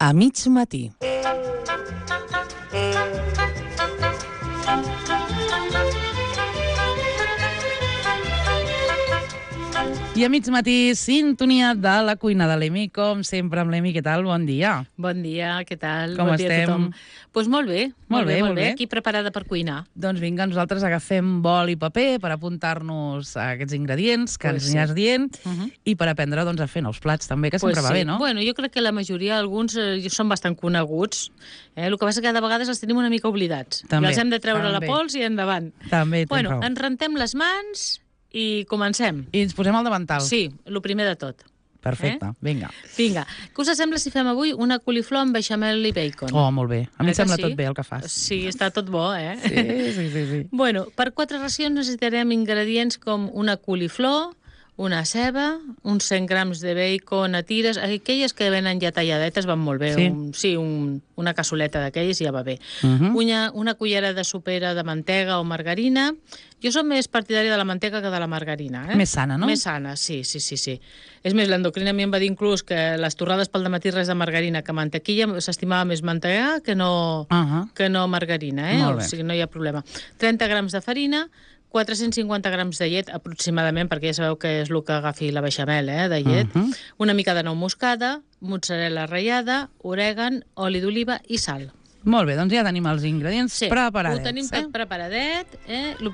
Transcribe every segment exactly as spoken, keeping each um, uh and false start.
A mig matí. I a mig matí, sintonia de la cuina de l'Emi, com sempre amb l'Emi. Què tal? Bon dia. Bon dia, què tal? Com bon estem? Dia a tothom. Doncs molt bé, Molt bé, molt bé. Aquí preparada per cuinar. Doncs vinga, nosaltres agafem bol i paper per apuntar-nos a aquests ingredients que Pues ens sí. aniràs dient Uh -huh. i per aprendre doncs, a fer nous plats també, que sempre Pues va sí. bé, no? Bueno, jo crec que la majoria, alguns, eh, són bastant coneguts. Eh? El que passa que cada vegada els tenim una mica oblidats. També, I els hem de treure també. la pols i endavant. També tens Bueno, raó. ens rentem les mans i comencem. I ens posem al davantal. Sí, el primer de tot. Perfecte, Eh? vinga. Vinga, què us sembla si fem avui una coliflor amb beixamel i bacon? Oh, molt bé. A mi Eh em que sembla sí? tot bé el que fas. Sí, està tot bo, eh? Sí, sí, sí. sí. Bueno, per quatre racions necessitarem ingredients com una coliflor, una ceba, uns cent grams de bacon a tires, aquelles que venen ja talladetes van molt bé, Sí. un, sí un, una cassoleta d'aquelles ja va bé. Uh -huh. una, una cullera de sopera de mantega o margarina. Jo som més partidària de la mantega que de la margarina. Eh? Més sana, no? Més sana, sí, sí, sí. sí. És més, l'endocrina a mi em va dir inclús que les torrades pel dematí res de margarina que mantequilla, s'estimava més mantega que no, Uh -huh. que no margarina, eh? Molt bé. O sigui, no hi ha problema. trenta grams de farina, quatre-cents cinquanta grams de llet, aproximadament, perquè ja sabeu que és el que agafi la beixamel, eh, de llet, Uh -huh. una mica de nou moscada, mozzarella ratllada, orègan, oli d'oliva i sal. Molt bé, doncs ja tenim els ingredients Sí, preparadets. ho tenim eh? tot preparadet. Eh? Lo...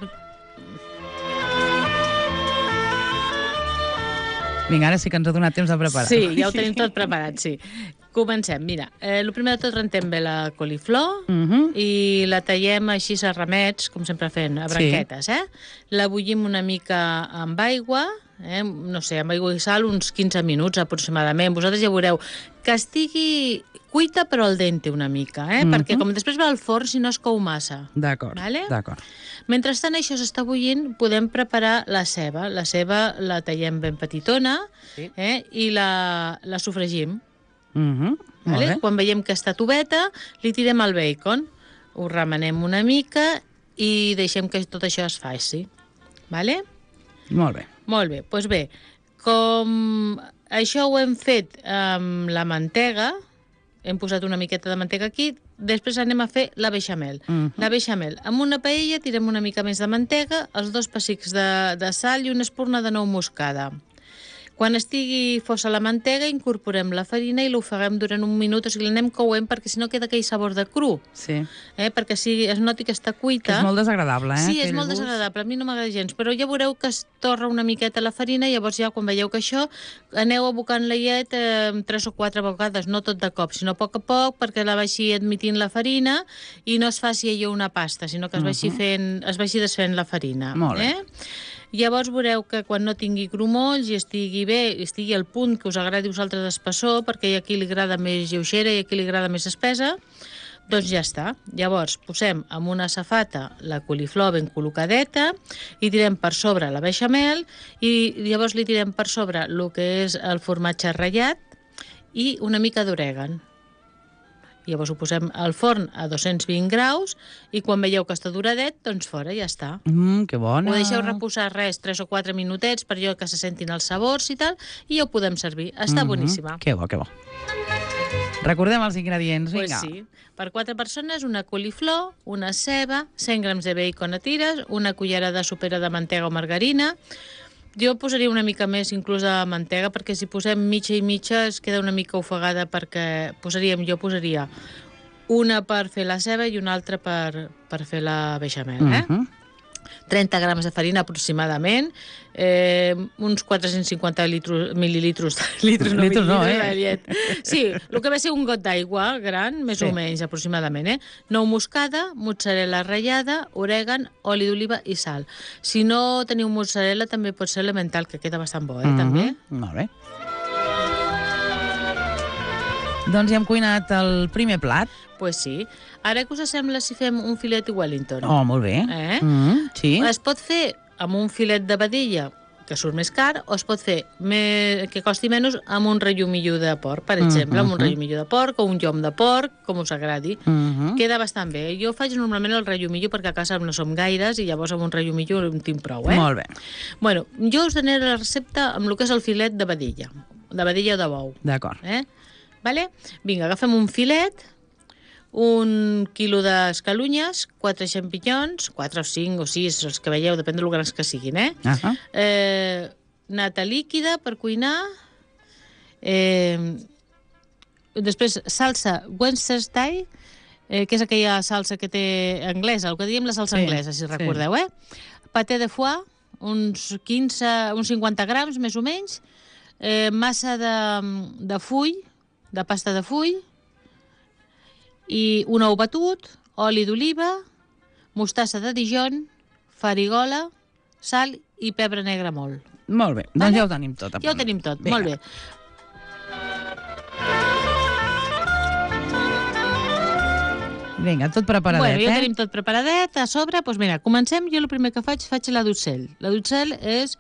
Vinga, ara sí que ens ha donat temps de preparar. Sí, ja ho tenim tot preparat, sí. Comencem, mira, eh, el primer de tot rentem bé la coliflor Uh -huh. i la tallem així a ramets, com sempre fent, a branquetes, eh? La bullim una mica amb aigua, eh? no sé, amb aigua i sal, uns quinze minuts aproximadament. Vosaltres ja veureu que estigui cuita però al dente una mica, eh? Mhm. Perquè com després va al forn, si no es cou massa. D'acord, Vale? d'acord. Mentrestant això s'està bullint, podem preparar la ceba. La ceba la tallem ben petitona, Sí. eh? I la, la sofregim. Uh -huh. Molt Vale? bé. Quan veiem que està tubeta, li tirem el bacon, ho remenem una mica i deixem que tot això es faci. Vale? Molt bé. Molt bé, doncs bé, com això ho hem fet amb la mantega, hem posat una miqueta de mantega aquí, després anem a fer la beixamel. Mhm. La beixamel, amb una paella tirem una mica més de mantega, els dos pessics de, de sal i una espurna de nou moscada. Quan estigui fosa la mantega, incorporem la farina i l'ofeguem durant un minut, o sigui, l'anem couent perquè si no queda aquell sabor de cru, Sí. eh? perquè si es noti que està cuita... Que és molt desagradable, eh? Sí, és aquell molt gust. desagradable, a mi no m'agrada gens, però ja veureu que es torra una miqueta la farina i llavors ja quan veieu que això, aneu abocant la llet eh, tres o quatre vegades, no tot de cop, sinó a poc a poc, perquè la vagi admitint la farina i no es faci allò una pasta, sinó que es vagi, fent, es vagi desfent la farina. Molt bé. Eh? Llavors veureu que quan no tingui grumolls i estigui bé, i estigui al punt que us agradi a vosaltres d'espessor, perquè hi ha qui li agrada més lleugera i a qui li agrada més espessa, doncs ja està. Llavors posem amb una safata la coliflor ben col·locadeta i tirem per sobre la beixamel i llavors li tirem per sobre el que és el formatge ratllat i una mica d'orègan. Llavors ho posem al forn a dos-cents vint graus i quan veieu que està duradet, doncs fora, ja està. Mm, que bona. Ho deixeu reposar res, tres o quatre minutets per allò que se sentin els sabors i tal, i ja ho podem servir. Està Mhm. boníssima. Que bo, que bo. Recordem els ingredients, Pues vinga. sí. Per quatre persones, una coliflor, una ceba, cent grams de bacon a tires, una cullera de sopera de mantega o margarina. Jo posaria una mica més inclús de mantega, perquè si posem mitja i mitja es queda una mica ofegada, perquè posaríem, jo posaria una per fer la ceba i una altra per, per fer la beixamel, eh? Mhm. trenta grams de farina aproximadament, eh, uns quatre-cents cinquanta litros, mil·lilitros, litros, no, Litros no, mil·lilitros eh? de llet. Sí, el que va ser un got d'aigua gran, més Sí. o menys aproximadament, eh? Nou moscada, mozzarella ratllada, orègan, oli d'oliva i sal. Si no teniu mozzarella també pot ser elemental, que queda bastant bo, eh, Mhm. també. Molt bé. Doncs ja hem cuinat el primer plat. Pues sí. Ara què us sembla si fem un filet Wellington? Oh, molt bé. Eh? Mm, sí. Es pot fer amb un filet de vedella, que surt més car, o es pot fer més, que costi menys amb un rellumillo de porc, per exemple, amb un rellumillo de porc o un llom de porc, com us agradi. Mhm. Queda bastant bé. Jo faig normalment el rellumillo perquè a casa no som gaires i llavors amb un rellumillo en tinc prou, eh? Molt bé. Bueno, jo us donaré la recepta amb el que és el filet de vedella, de vedella o de bou. D'acord. Eh? Vale? Vinga, agafem un filet, un quilo d'escalunyes, quatre xampinyons, quatre o cinc o sis, els que veieu, depèn de lo grans que siguin, eh? Uh -huh. eh nata líquida per cuinar, eh, després salsa Worcestershire, eh, que és aquella salsa que té anglesa, el que diem la salsa Sí, anglesa, si sí. recordeu, eh? Paté de foie, uns quinze, uns cinquanta grams, més o menys, eh, massa de, de full, de pasta de full, i un ou batut, oli d'oliva, mostassa de Dijon, farigola, sal i pebre negre molt. Molt bé, doncs Vale? ja ho tenim tot. a Ja ho punt. tenim tot, Vinga. molt bé. Vinga, tot preparadet, Bueno, ja ho eh? tenim tot preparadet. A sobre, doncs mira, comencem. Jo el primer que faig, faig la d'ocell. La d'ocell és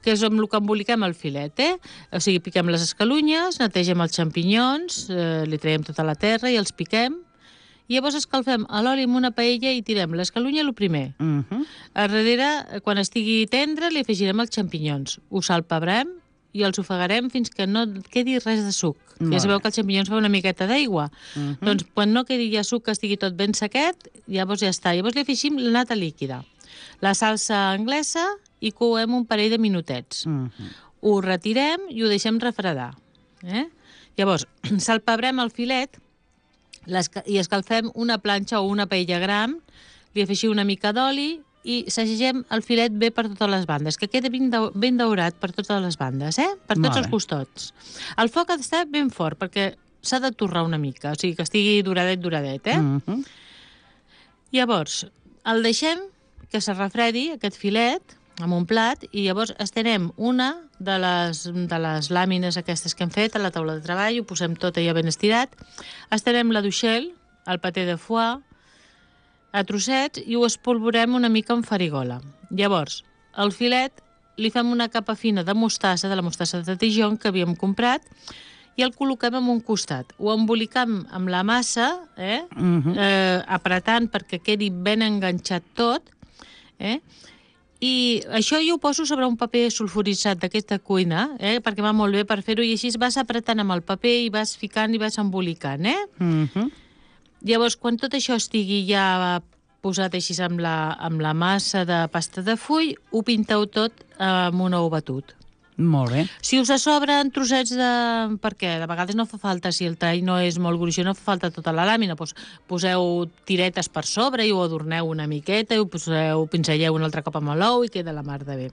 que és amb el que emboliquem el filet, eh? O sigui, piquem les escalunyes, netegem els xampinyons, eh, li traiem tota la terra i els piquem. I llavors escalfem a l'oli amb una paella i tirem l'escalunya el primer. Uh -huh. A darrere, quan estigui tendre, li afegirem els xampinyons. Ho salpebrem i els ofegarem fins que no quedi res de suc. Molt Ja sabeu bé. que els xampinyons fa una miqueta d'aigua. Uh -huh. Doncs quan no quedi ja suc, que estigui tot ben sequet, llavors ja està. Llavors li afegim la nata líquida, la salsa anglesa i coem un parell de minutets. Uh -huh. Ho retirem i ho deixem refredar. Eh? Llavors, salpebrem el filet i escalfem una planxa o una paella gran, li afegim una mica d'oli i sagegem el filet bé per totes les bandes, que quedi ben, dau ben daurat per totes les bandes, eh? Per tots Molt bé. els costats. El foc ha d'estar ben fort, perquè s'ha de torrar una mica, o sigui, que estigui duradet, duradet, eh? Uh -huh. Llavors, el deixem que se refredi, aquest filet, amb un plat, i llavors estenem una de les, de les làmines aquestes que hem fet a la taula de treball, ho posem tot allà ben estirat, estenem la d'uixel, el paté de foie, a trossets i ho espolvorem una mica amb farigola. Llavors, el filet li fem una capa fina de mostassa, de la mostassa de Dijon que havíem comprat, i el col·loquem en un costat. Ho embolicam amb la massa, eh? Uh -huh. eh, apretant perquè quedi ben enganxat tot, eh? I això jo ho poso sobre un paper sulfuritzat d'aquesta cuina, eh? Perquè va molt bé per fer-ho, i així vas apretant amb el paper i vas ficant i vas embolicant, eh? Uh -huh. Llavors, quan tot això estigui ja posat així amb la, amb la massa de pasta de full, ho pinteu tot amb un ou batut. Molt bé. Si us sobren trossets de... perquè de vegades no fa falta, si el tall no és molt gruixut, no fa falta tota la làmina, doncs poseu tiretes per sobre i ho adorneu una miqueta i ho poseu, pinzelleu un altre cop amb l'ou i queda la mar de bé.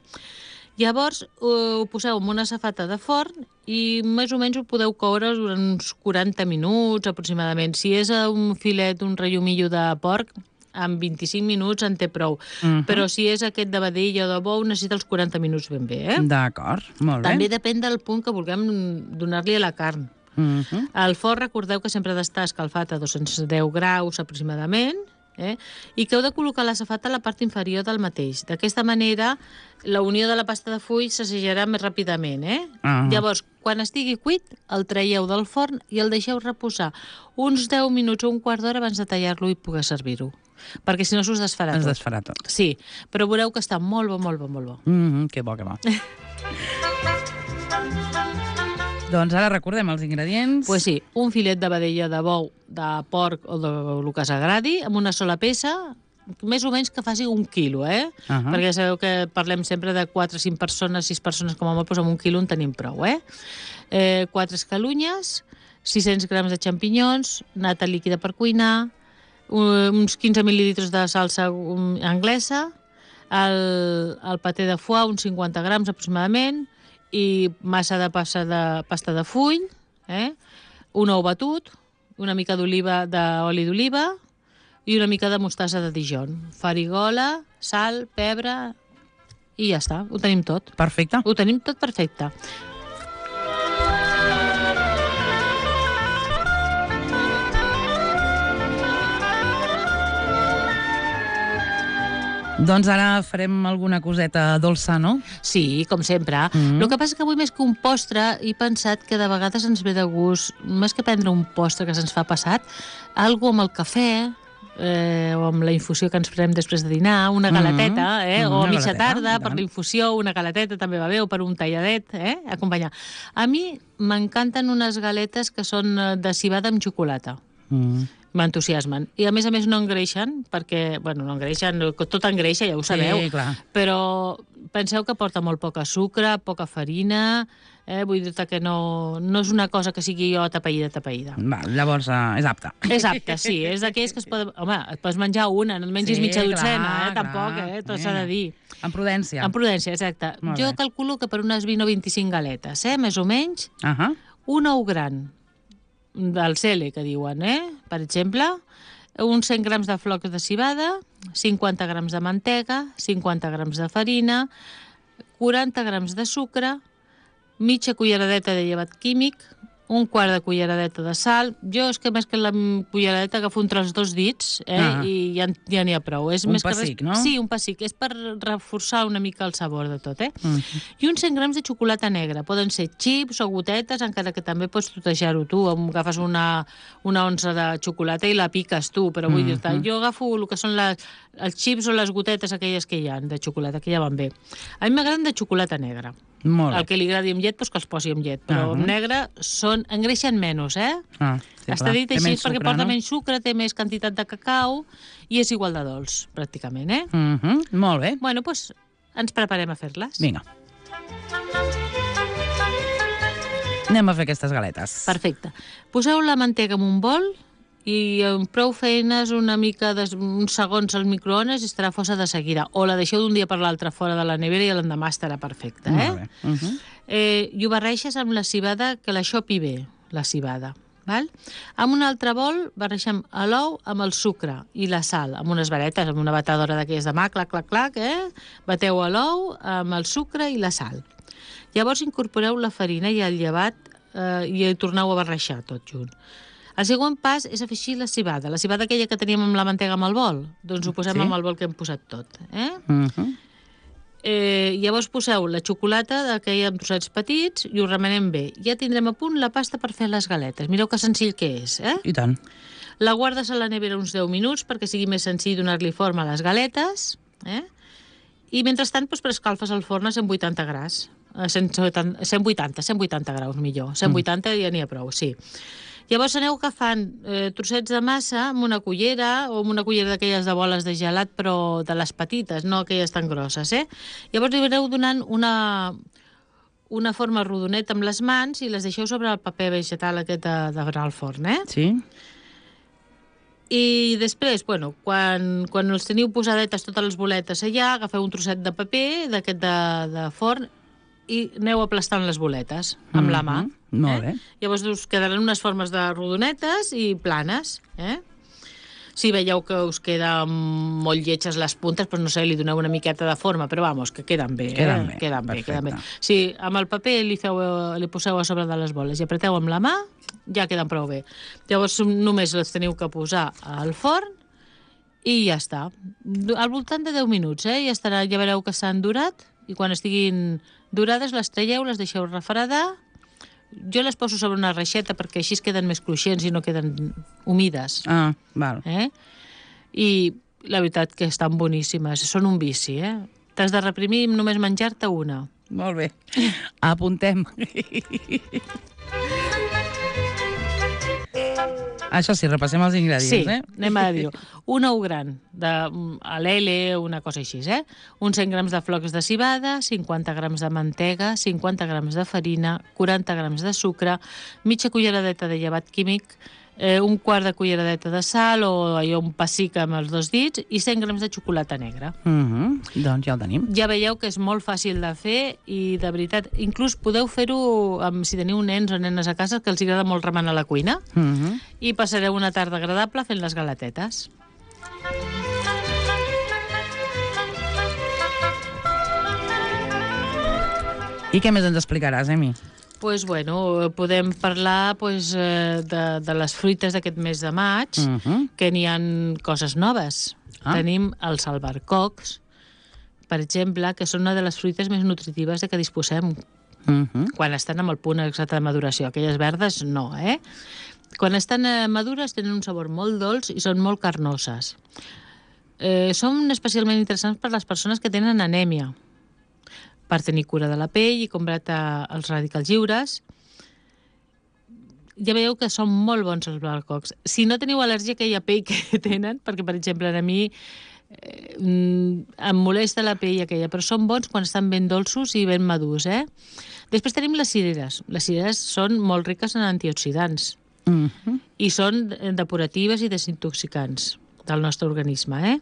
Llavors ho poseu en una safata de forn i més o menys ho podeu coure durant uns quaranta minuts aproximadament. Si és un filet, un rellomillo de porc, en vint-i-cinc minuts en té prou. Uh -huh. Però si és aquest de vedell o de bou, necessita els quaranta minuts ben bé, eh? D'acord, molt bé. També depèn del punt que vulguem donar-li a la carn. Uh -huh. El forn, recordeu que sempre ha d'estar escalfat a dos-cents deu graus aproximadament, eh? I que heu de col·locar la safata a la part inferior del mateix. D'aquesta manera, la unió de la pasta de full s'assajarà més ràpidament, eh? Uh -huh. Llavors, quan estigui cuit, el traieu del forn i el deixeu reposar uns deu minuts o un quart d'hora abans de tallar-lo i poder servir-ho. Perquè si no s'us desfarà Es tot. desfarà tot. Sí, però veureu que està molt bo, molt bo, molt bo. Mm -hmm, que bo, que bo. Doncs ara recordem els ingredients. Pues sí, un filet de vedella de bou, de porc o de el que s'agradi, amb una sola peça, més o menys que faci un quilo, eh? Uh -huh. Perquè sabeu que parlem sempre de quatre o cinc persones, sis persones com a molt, doncs amb un quilo en tenim prou, eh? eh quatre escalunyes, sis-cents grams de xampinyons, nata líquida per cuinar, uns quinze mil·lilitres de salsa anglesa, el, el paté de foie, uns cinquanta grams aproximadament, i massa de pasta de, pasta de full, eh? Un ou batut, una mica d'oliva d'oli d'oliva i una mica de mostassa de Dijon. Farigola, sal, pebre i ja està, ho tenim tot. Perfecte. Ho tenim tot perfecte. Doncs ara farem alguna coseta dolça, no? Sí, com sempre. Mm-hmm. El que passa que avui, més que un postre, he pensat que de vegades ens ve de gust, més que prendre un postre que se'ns fa passat, algo amb el cafè, eh, o amb la infusió que ens farem després de dinar, una galateta, eh? Mm-hmm. o a Una mitja galeteta, tarda, i per tant. la infusió, una galateta també va bé, o per un talladet, eh? acompanyar. A mi m'encanten unes galetes que són eh, de civada amb xocolata. Mm. M'entusiasmen. I a més a més no engreixen, perquè, bueno, no engreixen, tot engreixa, ja ho sabeu, Sí, clar. però penseu que porta molt poca sucre, poca farina, eh? vull dir que no, no és una cosa que sigui jo tapaïda, tapaïda. Va, llavors eh, és apte. És apte, sí, és d'aquells que es poden... Home, et pots menjar una, no et mengis Sí, mitja clar, dotzena, eh? clar. Tampoc, eh? Tot s'ha de dir. Amb prudència. Amb prudència, exacte. Molt Jo bé. calculo que per unes vint o vint-i-cinc galetes, eh? més o menys, Ahà. un ou gran del cele, que diuen, eh? Per exemple, uns cent grams de flocs de civada, cinquanta grams de mantega, cinquanta grams de farina, quaranta grams de sucre, mitja culleradeta de llevat químic, un quart de culleradeta de sal. Jo és que més que la culleradeta agafo entre els dos dits eh? Ah. i ja, ja n'hi ha prou. És Un més pessic, que res... no? Sí, un pessic. És per reforçar una mica el sabor de tot. Eh? Mm. I uns cent grams de xocolata negra. Poden ser xips o gotetes, encara que també pots totejar-ho tu. Agafes una, una onça de xocolata i la piques tu, però vull Mm-hmm. dir-te, jo agafo el que són les, els xips o les gotetes aquelles que hi ha de xocolata, que ja van bé. A mi m'agraden de xocolata negra. Molt El bé. que li agradi amb llet, doncs que els posi amb llet. Però Ah. amb negre són, engreixen menys, eh? Ah, sí, Està clar. dit Té així menys perquè sucre, porta no? menys sucre, té més quantitat de cacau i és igual de dolç, pràcticament, eh? Mm-hmm. Molt bé. Bueno, doncs ens preparem a fer-les. Vinga. Anem a fer aquestes galetes. Perfecte. Poseu la mantega en un bol i amb prou feines, una mica de, uns segons al microones i estarà força de seguida. O la deixeu d'un dia per l'altre fora de la nevera i l'endemà estarà perfecta, eh? Molt bé. Mm-hmm. Eh, I ho barreixes amb la civada, que l'aixopi bé, la civada. Val? Amb un altre bol barreixem l'ou amb el sucre i la sal, amb unes varetes, amb una batedora d'aquelles de mà, clac, clac, clac, eh? Bateu l'ou amb el sucre i la sal. Llavors incorporeu la farina i el llevat eh, i torneu a barreixar tot junt. El següent pas és afegir la civada, la civada aquella que teníem amb la mantega amb el bol, doncs ho posem Sí. amb el bol que hem posat tot. Eh? Mm-hmm. Eh, llavors poseu la xocolata d'aquella amb trossets petits i ho remenem bé. Ja tindrem a punt la pasta per fer les galetes. Mireu que senzill que és, eh? I tant. La guardes a la nevera uns deu minuts perquè sigui més senzill donar-li forma a les galetes, eh? I mentrestant doncs, preescalfes el forn a cent vuitanta graus. A cent vuitanta, cent vuitanta, cent vuitanta graus millor. cent vuitanta mm. ja n'hi ha prou, sí. Llavors aneu agafant eh, trossets de massa amb una cullera o amb una cullera d'aquelles de boles de gelat, però de les petites, no aquelles tan grosses, eh? Llavors li aneu donant una, una forma rodoneta amb les mans i les deixeu sobre el paper vegetal aquest de, de berenar al forn, eh? Sí. I després, bueno, quan, quan els teniu posadetes totes les boletes allà, agafeu un trosset de paper d'aquest de, de forn i aneu aplastant les boletes amb la mà. Mm-hmm. Molt bé. Eh? Llavors us quedaran unes formes de rodonetes i planes. Eh? Si veieu que us queden molt lletges les puntes, doncs no sé, li doneu una miqueta de forma, però vamos, que queden bé. Queden eh? bé, Queden bé, queden bé. perfecte. Si amb el paper li, feu, li poseu a sobre de les boles i apreteu amb la mà, ja queden prou bé. Llavors només les teniu que posar al forn i ja està. Al voltant de deu minuts, eh? Ja estarà, ja veureu que s'han durat i quan estiguin durades les traieu, les deixeu refredar. Jo les poso sobre una reixeta perquè així es queden més cruixents i no queden humides. Ah, val. Eh? I la veritat que estan boníssimes. Són un vici, eh? T'has de reprimir només menjar-te una. Molt bé. Apuntem. Això sí, repassem els ingredients, Sí, eh? anem a dir-ho. Un ou gran, de, a l'L, una cosa així, eh? Uns cent grams de flocs de civada, cinquanta grams de mantega, cinquanta grams de farina, quaranta grams de sucre, mitja culleradeta de llevat químic, eh, un quart de culleradeta de sal o allò un pessic amb els dos dits i cent grams de xocolata negra. Mm-hmm. Doncs ja el tenim. Ja veieu que és molt fàcil de fer i, de veritat, inclús podeu fer-ho amb, si teniu nens o nenes a casa que els agrada molt remenar a la cuina Mm-hmm. i passareu una tarda agradable fent les galetetes. I què més ens explicaràs, Emi? Pues, bueno, podem parlar pues, eh, de, de les fruites d'aquest mes de maig, Mm-hmm. que n'hi ha coses noves. Ah. Tenim els albercocs, per exemple, que són una de les fruites més nutritives de què disposem Mm-hmm. quan estan amb el punt exacte de maduració. Aquelles verdes, no, eh? Quan estan eh, madures tenen un sabor molt dolç i són molt carnoses. Eh, són especialment interessants per les persones que tenen anèmia, per tenir cura de la pell i combatre els radicals lliures. Ja veieu que són molt bons els albàcocs. Si no teniu al·lèrgia a aquella pell que tenen, perquè, per exemple, a mi eh, em molesta la pell aquella, però són bons quan estan ben dolços i ben madurs, eh? Després tenim les cireres. Les cireres són molt riques en antioxidants Mm-hmm. i són depuratives i desintoxicants del nostre organisme, eh?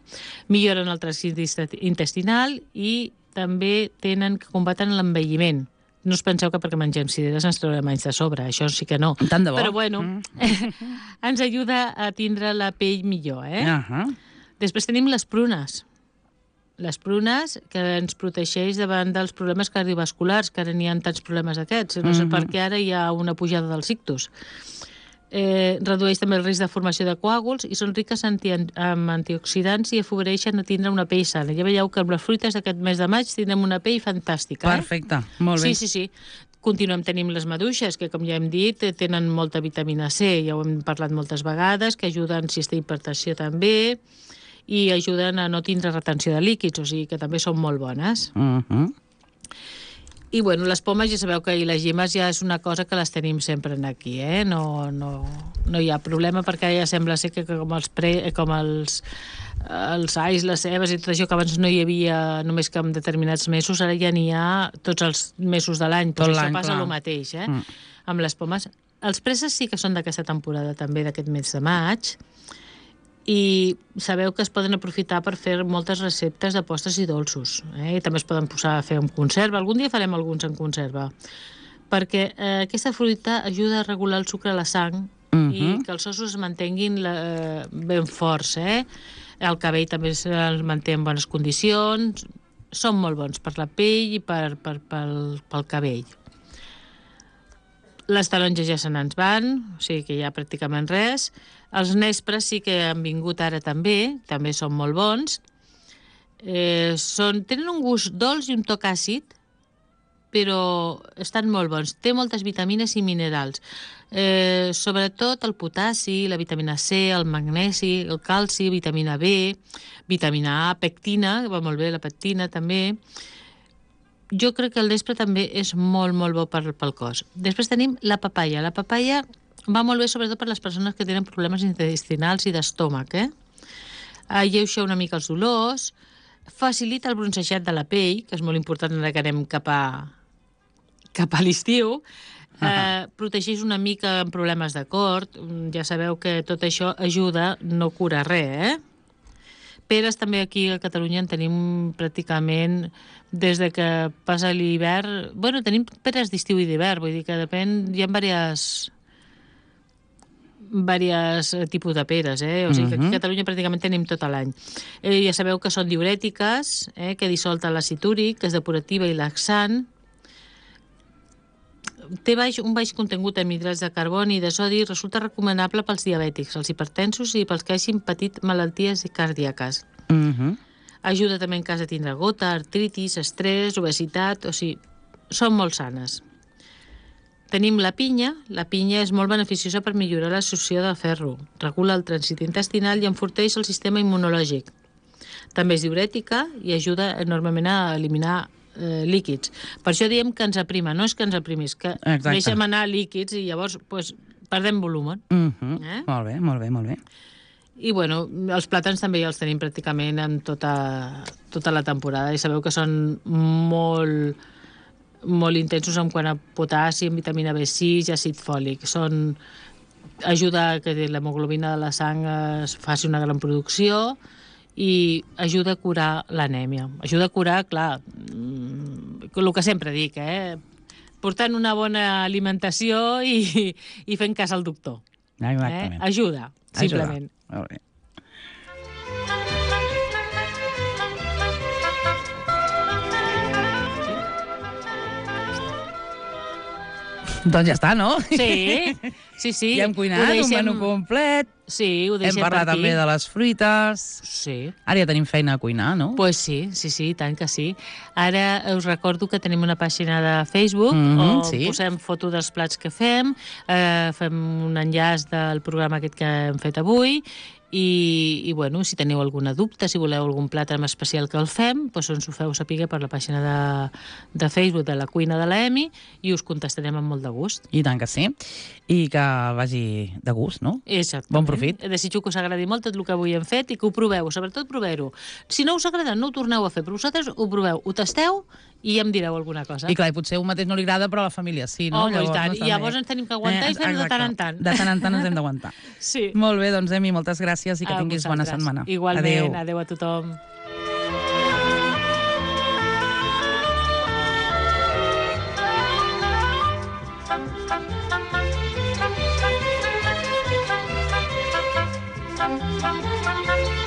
Milloren el trànsit intestinal i també tenen que combaten l'envelliment. No us penseu que perquè mengem cireres ens traurem anys de sobre, això sí que no. Tant de bo. Però bueno, mm. ens ajuda a tindre la pell millor, eh? Uh-huh. Després tenim les prunes. Les prunes que ens protegeix davant dels problemes cardiovasculars, que ara n'hi ha tants problemes d'aquests. No sé Mhm. per què ara hi ha una pujada dels ictus. Eh, redueix també el risc de formació de coàguls i són riques anti amb antioxidants i afavoreixen a tindre una pell sana. Ja veieu que amb les fruites d'aquest mes de maig tindrem una pell fantàstica. Eh? Perfecte, molt bé. Sí, sí, sí. Continuem tenint les maduixes, que com ja hem dit, tenen molta vitamina C, ja ho hem parlat moltes vegades, que ajuden si té hipertensió també, i ajuden a no tindre retenció de líquids, o sigui que també són molt bones. Uh-huh. I bueno, les pomes ja sabeu que i les llimes ja és una cosa que les tenim sempre aquí, eh? No, no, no hi ha problema perquè ja sembla ser que com els, pre, com els, els ais, les cebes i tot això que abans no hi havia només que en determinats mesos, ara ja n'hi ha tots els mesos de l'any. Tot Pues això l'any, passa clar. el mateix, eh? Mm. Amb les pomes. Els presses sí que són d'aquesta temporada també, d'aquest mes de maig, i sabeu que es poden aprofitar per fer moltes receptes de postres i dolços, eh? I també es poden posar a fer en conserva. Algun dia farem alguns en conserva, perquè eh, aquesta fruita ajuda a regular el sucre a la sang Mhm. i que els ossos es mantenguin la, ben forts, eh? El cabell també es manté en bones condicions, són molt bons per la pell i per, per, pel, pel cabell. Les taronges ja se n'ens van, o sigui que ja pràcticament res. Els nespres sí que han vingut ara també, també són molt bons. Eh, són, tenen un gust dolç i un toc àcid, però estan molt bons. Té moltes vitamines i minerals. Eh, sobretot el potassi, la vitamina C, el magnesi, el calci, vitamina B, vitamina A, pectina, que va molt bé la pectina també. Jo crec que el nespre també és molt, molt bo per, pel cos. Després tenim la papaya. La papaya va molt bé sobretot per les persones que tenen problemes intestinals i d'estómac, eh? Alleuja una mica els dolors, facilita el bronzejat de la pell, que és molt important ara que anem cap a, cap a l'estiu, eh, protegeix una mica en problemes de cor, ja sabeu que tot això ajuda, no cura res, eh? Peres també aquí a Catalunya en tenim pràcticament des de que passa l'hivern. Bueno, tenim peres d'estiu i d'hivern, vull dir que depèn, hi ha diverses diversos tipus de peres, eh? O sigui que aquí a Catalunya pràcticament tenim tot l'any. Eh, ja sabeu que són diurètiques, eh? Que dissolta l'àcid úric, que és depurativa i laxant. Té baix, un baix contingut en hidrats de carboni i de sodi i resulta recomanable pels diabètics, els hipertensos i pels que hagin patit malalties cardíaques. Uh-huh. Ajuda també en cas de tindre gota, artritis, estrès, obesitat, o sigui, són molt sanes. Tenim la pinya. La pinya és molt beneficiosa per millorar l'absorció de ferro, regula el trànsit intestinal i enforteix el sistema immunològic. També és diurètica i ajuda enormement a eliminar eh, líquids. Per això diem que ens aprima, no és que ens aprimi, és que Exacte. deixem anar líquids i llavors pues, perdem volum. Uh-huh. Eh? Molt bé, molt bé, molt bé. I bueno, els plàtans també ja els tenim pràcticament en tota, tota la temporada i sabeu que són molt, molt intensos en quant a potassi, vitamina B sis i àcid fòlic. Són, ajuda a que l'hemoglobina de la sang es faci una gran producció i ajuda a curar l'anèmia. Ajuda a curar, clar, el que sempre dic, eh? Portant una bona alimentació i, i fent cas al doctor. Exactament. Eh? Ajuda, simplement. Ajuda. Molt bé. Doncs ja està, no? Sí, Sí, sí. Ja hem cuinat, deixem... un menú complet. Sí, ho deixem Hem parlat per aquí. també de les fruites. Sí. Ara ja tenim feina a cuinar, no? Pues sí, sí, sí, tant que sí. Ara us recordo que tenim una pàgina de Facebook Mhm, on sí. posem foto dels plats que fem, eh, fem un enllaç del programa aquest que hem fet avui i, i bueno, si teniu alguna dubte, si voleu algun plat en especial que el fem, doncs ens ho feu saber per la pàgina de, de Facebook de la cuina de l'Emi i us contestarem amb molt de gust. I tant que sí. I que vagi de gust, no? Exactament. Bon profit. Desitjo que us agradi molt tot el que avui hem fet i que ho proveu, sobretot proveu-ho. Si no us agrada, no ho torneu a fer, però vosaltres ho proveu, ho tasteu i ja em direu alguna cosa. I clar, i potser un mateix no li agrada, però a la família sí, no? Home, i tant. no I llavors ens tenim que aguantar i fer-ho de tant en tant. De tant en tant ens hem d'aguantar. Sí. Molt bé, doncs, Emi, moltes gràcies i que A tinguis bona vosaltres. setmana. Igualment, Adéu. adéu a tothom. Thank you.